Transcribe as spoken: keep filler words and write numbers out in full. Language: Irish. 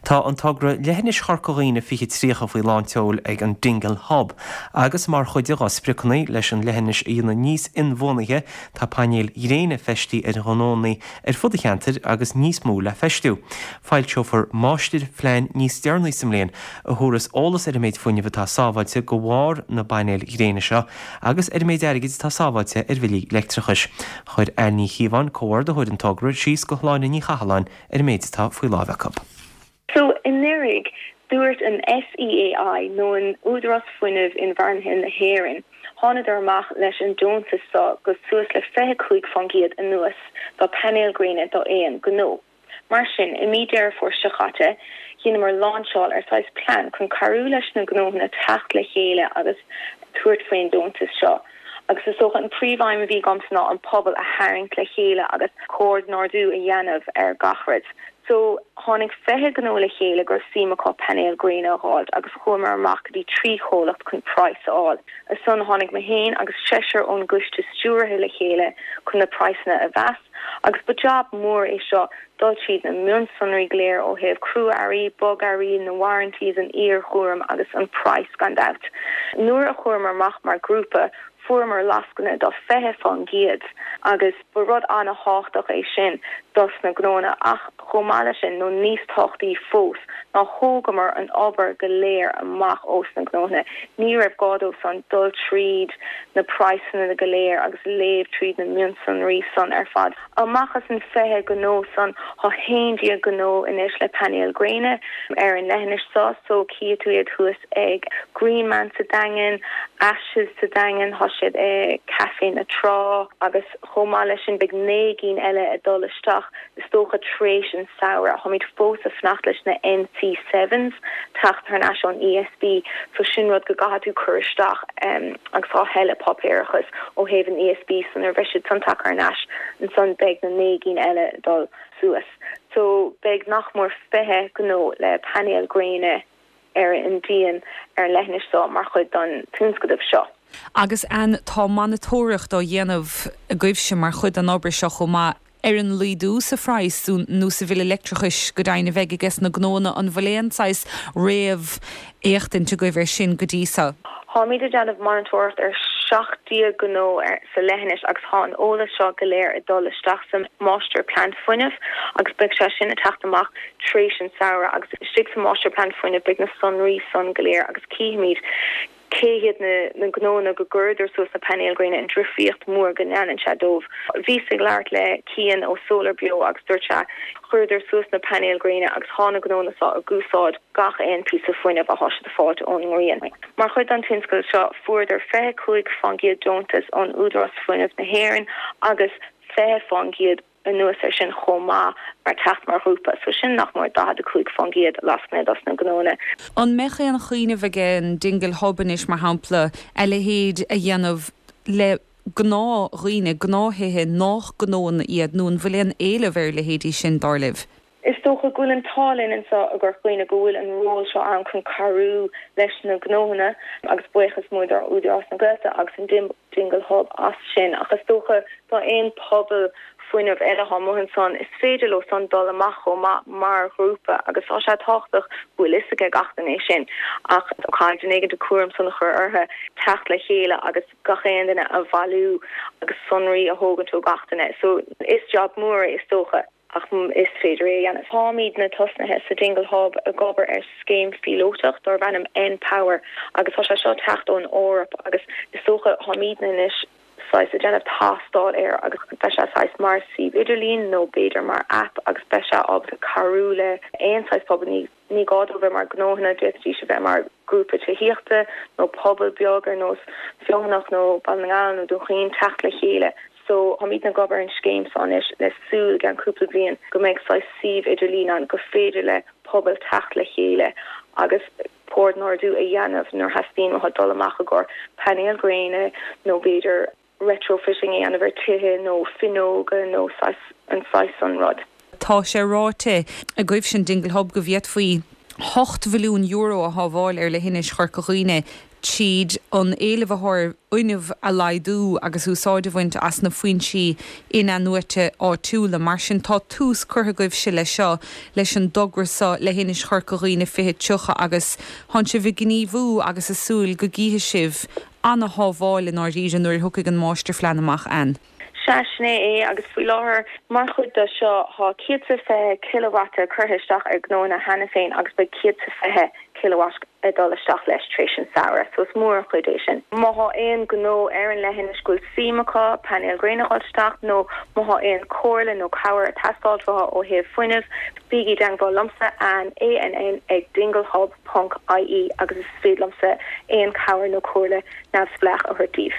Tá an togra Leithinis Chorca Dhuibhne fiche tríocha faoi lán tseoil ag an Dingle Hub, agus mar chuid dá spriocanna leis an leithinis a dhéanamh níos inbhuanaithe tá painéil ghréine feistithe ar ghnónna ar fud an cheantair agus níos mó le feistiú. Foilseofar máistirphlean níos deireanaí sa mbliain a thabharfas eolas ar an méid fuinnimh atá sábháilte de bharr na bpainéal gréine seo agus ar an méid airgid atá sábháilte ar bhillí leictreachais. Chuir Anne Ní Chíobháin comhordaitheoir an togra síos do Shláine Ní Chathalláin ar an méid atá faoi láimh acu. So anuraidh dúirt an SEAI nó an Údarás Fuinnimh Inbhuanaithe na hÉireann, Thánadar amach leis an deontas seo go suas le fiche cúig faoin gcéad anuas do painéil gréine do aon gnó. Mar sin i mí Deireadh Fómhair seo caite, dheineamar lainseáil ar saghas plean chun cabhrú leis na gnóthanna teacht le chéile agus tabhairt faoin deontas seo. Agus is dócha an príomhaidhm a bhí agamsa ná an pobal a tharraingt le chéile agus comhordú a dhéanamh ar gach rud. So tháinig fiche gnó le chéile go raibh suim acu painéil gréine a fháil agus chuamar amach go dtí trí chomhlacht chun praghas a fháil. Ansan tháinig mé féin agus seisear ón gcoiste stiúrtha le chéile chun na praghsanna a mheas, agus ba job mór é seo dul tríd na mionsonraí go léir ó thaobh crua-earraí, bogearraí, na warranties an iarchúram agus an praghas gan dabht. Nuair a chuamar amach mar grúpa fuaireamar lascaine do fiche faoin gcéad agus ba rud an-tábhachtach é sin dos na gnónna ach chomh maith leis sin nó níos tábhachtaí fós ná thógamar an obair go léir amach ós na gnónna. Ní raibh gá dóibh san dul tríd na praghsanna go léir agus léamh tríd na mionsonraí san ar fad. Amach as an fiche gnó san tá haon déag gnó anois le painéil gréine ar an leithinis seo so cífidh tú iad thuas ag Greenman sa Daingean, Ashes sa Daingean, tá siad ag Café na Trá agus chomh maith leis sin beidh naoi gcinn eile ag dul isteach is dócha tar éis an samhradh. Táimid fós ag fanacht leis na NC sevens teacht thar n-ais ón ESB, so sin rud go gcaithfidh tú cur isteach um, agus tá tuilleadh páipéarachas ó thaobh an ESB san ar bheidh siad san tagtha thar n-ais ansan beidh na naoi gcinn eile dul suas. So beidh nach mór fiche gnó le painéil gréine ar an díon ar an leithinis seo mar chuid den tionscadal seo. Agus an tá monatóireacht á dhéanamh agaibhse mar chuid den obair seo chomh maith ar an laghdú sa phraghas nó sa bhille leictreachais go deimhin a bheidh aige na gnónna an bhfuil aon saghas réamh-fhéachaint agaibh ar sin go dtí seo. Táimid ag déanamh monatóireacht ar seacht déag gnó ar sa leithinis agus tá an eolas seo go léir ag dul isteach sa máistirphlean fuinnimh agus beidh sé sin ag teacht amach tar éis an samhradh agus istigh sa máistirphlean fuinnimh beidh na sonraí san go léir agus cífimid cé hiad na na gnónna go gcuireadar suas na painéil gréine an difríocht mór go ndéanann sé dóibh. Bhíos ag labhairt le Cian ó Solar Beo agus dúirt sé chuireadar suas na painéil gréine agus tá na gnónna seo ag úsáid gach aon píosa fuinnimh atá siad ag fáil ón ngrian. Mar chuid den tionscadal seo fuaireadar fiche cúig faoin gcéad deontas ón Údarás Fuinnimh na hÉireann agus fiche faoin gcéad anuas ar sin chomh maith mar teacht mar ghrúpa, so sin nach mór daichead a cúig faoin gcéad lascaine dos na gnónna. An mbeadh aon chuimhneamh ag an Dingle Hub anois mar shampla a leithéid a dhéanamh le gnáthdhaoine gnáthaithe nach gnónna iad nó an bhfuil aon éileamh ar leithéidí sin dar libh? Is dócha go bhfuil an t-ádh linn anseo i gCorca Dhuibhne go bhfuil an ról seo ann chun cabhrú leis na gnóthanna agus buíochas mór do Údarás na Gaeltachta agus an Dingle Hub as sin ach is dócha tá aon pobal fuinnimh eile atá amuigh ansan is féidir leo san dul amach chomh maith mar ghrúpa agus tá sé tábhachtach go bhfuil fhios ag gach duine é sin ach caithfidh duine éigin an cúram san a chur orthu teacht le chéile agus gach aon duine a bhailiú agus sonraí a thógaint ó gach duine so is job mór é is dócha. ach is féidir é a dhéanamh. Táimidne tosnaithe sa Dingle Hub ag obair ar scéim phíolótach darb ainm N-Power agus tá sé seo teacht ón Eoraip agus is dócha táimidne anois saghas ag déanamh tástáil air agus beidh sé saghas mar suíomh idirlín nó b'fhéidir mar app agus beidh sé ábalta cabhrú le aon saghas pobal ní ní gá dó bheith mar gnóthanna d'fhéadfaidís a bheith mar grúpa tithíochta nó pobal beag ar nós Feothanach nó Baile na nGall nó Dún Chaoin teacht le chéile. So táimidne ag obair an scéim seo anois le súil gan cúpla bliain go mbeidh saghas suíomh idirlín ann go féidir le pobal teacht le chéile agus comhordú a dhéanamh nuair theastaíonn uathu dul amach i gcomhair painéil gréine nó b'fhéidir retrofitting a dhéanamh ar tithe nó fuinneoga nó an saghas an rud. Tá sé ráite agaibhse in Dingle Hub go bhféadfaí hocht mhilliún euro a shábháil ar leithinis Chorca Dhuibhne tríd an éileamh atá ar fhuinneamh a laghdú agus úsáid a bhaint as na foinsí in-athnuaite áitiúla. Mar sin tá tús curtha agaibhse leis seo leis an dtogra seo le hInis Chorca Dhuibhne fiche tríocha agus tá sibh ag gníomhú agus ag súil go gcífidh sibh an-shábháil i ndáiríre nuair a thiocfaidh an máistirphlean amach ann. Sea, sin é é agus faoi láthair mar chuid de seo tá céad is fiche kilowatt curtha isteach ar gnóanna cheana féin agus beidh céad is fiche kilowatt ag dul isteach leis tar éis an samhradh, so is mór an chuid é sin. Má thá aon gnó ar an leithinis go bhfuil suim acu painéil gréine a dhul isteach nó má thá aon comhairle nó cabhair ag teastáil uathu ó thaobh fuinnimh, bígí i dteangmháil liomsa Ann, ANN ag dinglehub ponc ie agus is féidir liomsa aon cabhair nó comhairle neamhspleách a thabhairt daoibh.